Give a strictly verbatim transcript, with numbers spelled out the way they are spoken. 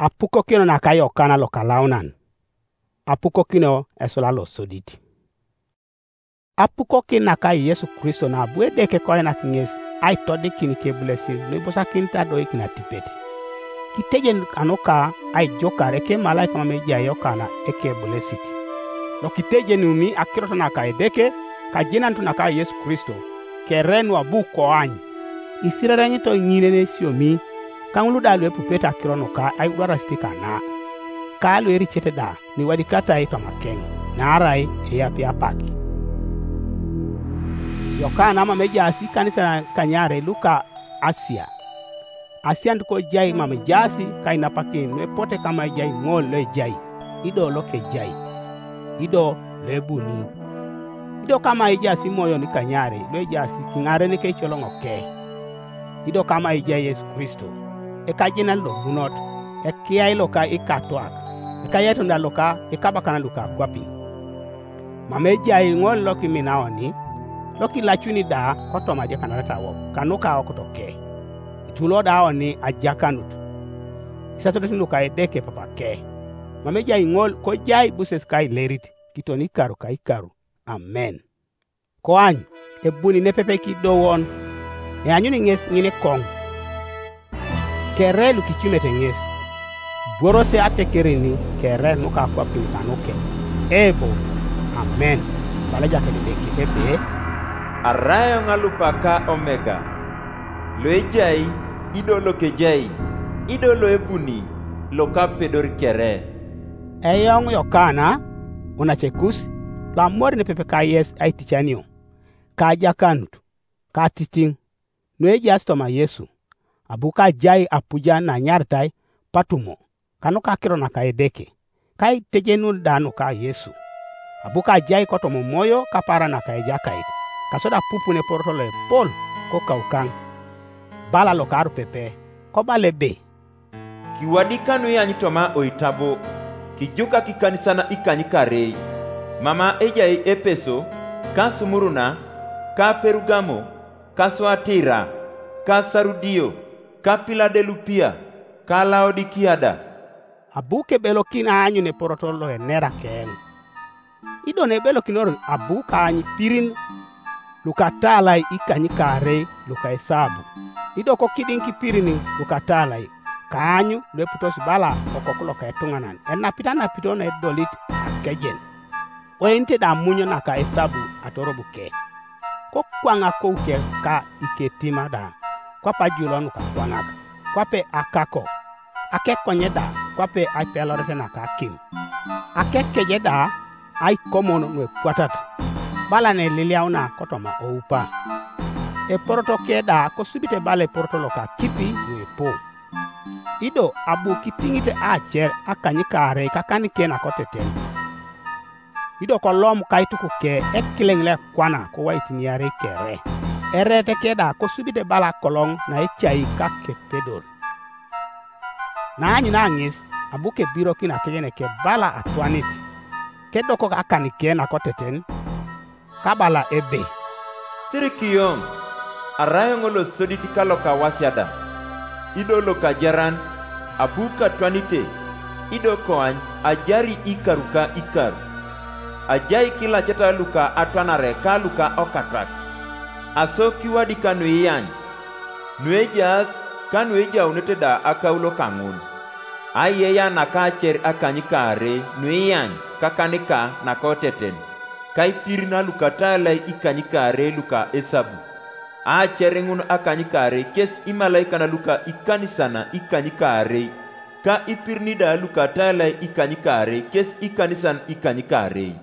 Apukokino naka Yokana lokalaunan. Apukokino esula losodit. Apukokin naka Yesu Kristo na abu Edeke koinak ŋes aitodikin ikebulesin nuibusakinit adoikin atipet. Kitejen kanuka aijukar ekemalaika mam ejai Yokana ekebulesit. Lokitejenuni akirot naka Edeke kajenanut naka Yesu Kristo, kere nuabu koany. Isirareŋito ŋin enesiomi, ka ŋul da luepupete akiro nuka aigwarasit kana, ka luericete da nuiwadikatai toma keŋ, naarai eyapi apak. Yokana mam ejaas ikanisan kanyarei luka Asia. Asianut kojai mam ejaas kainapakin nuepote kama ejai ŋol loejai, ido lokejai, ido loebuni. Ido kama ejaas imoyon kanyarei luejaas kiŋaren keicoloŋoke. Ido kama ejai Yesu Kristo, ekajenan lobunot, ekiai loka ikatuak, ekayatun da loka ikabakanan luka akwapin. Mam ejai ŋol lokiminaoni, lokilacuni da kotoma ajakanaret awok kanuka aokotoke. Itulo da oni ajakanut, isatodet luka Edeke papake. Mam ejai ŋol kojai buses kailerit, kitoni ikaru ka ikaru. Amen. Koany, ebuni nepepe kidowon, eanyuni ŋes ŋinikoŋ. Kere lukicumete ŋes, bworose atekerin kere nukakwapin kanuke, ebo, amen. Bala Ejakait Edeke ebe, arai eoŋ alupa ka Omega, loejai, ido lokejai, ido loebuni, lokapedor kere. Eoŋ Yokana, unacekus, loamor nepepe kayes aiticanio, ka ajakanut, ka atitiŋ, nuejaas toma Yesu, abu kajai apujan nanyaritai Patumo, kanuka akiro naka Edeke, ka aitejenun da nuka Yesu, abu kajai kotoma Omoyo kapaaran naka Ejakait, kasodi apupun eporoto loepol kokaukaŋ. Bala lokarupepe, kobala ebe, kiwadika nuiany toma oitabo, kijukak ikanisan ikanykarei, mama ejai Epeso, ka Sumuruna, ka Perugamo, ka Suatira, ka Sarudio, ka Piladelupia, ka Laodikia da. Abu kebelokin aanyun eporoto loenera keŋ. Ido nebelokinor abu kaany pirin lukataalai ikanykaarei luka esabu, ido kokidiŋ kipirin lukataalai, kaany lueputos bala Okoku loka etuŋanan enapit anapito naedolit akejen. Oenite da amunyo naka esabu atorobuke. Kokwaŋ akouke ka iketima da, kwape ajulon nukakwaŋak, kwape akako, akekonye da, kwape aipeloret naka akim, akekeje da, aikomon nuepwatat, bala neliliauna kotoma oupa. Eporoto ke da kosubite bala eporoto loka akipi nuepu. Ido abu kitiŋit acer akanykaarei kakaniken akoteten. Ido kolom kaitukuke ekileŋ loekwana kowaitin iarei kere, ereet ke da kosubite bala akoloŋ naecai kakepedor. Naanyuna ŋes abu kebirokin akejeneke bala atwanit, kedokok akaniken akoteten, kabala ebe, sirikioŋ, arai eoŋ losodit ka lokawasiada, ido lokajaran, abu katwanite, ido koany ajari ikaru ka ikaru. Ajai kilaceta luka atwanare ka luka okatwak, aso kiwadika nuiany, nuejaas ka nuejaunete da akaulo kaŋun. Aiyei anaka acer akanykaarei nuiany kakanika nakoteten, ka ipirin alukataalai ikanykaarei luka esabu. Aacer ŋun akanykaarei kes imalaikan luka ikanisan ikanykaarei, ka ipirin da lukataalai ikanykaarei kes ikanisan ikanykaarei.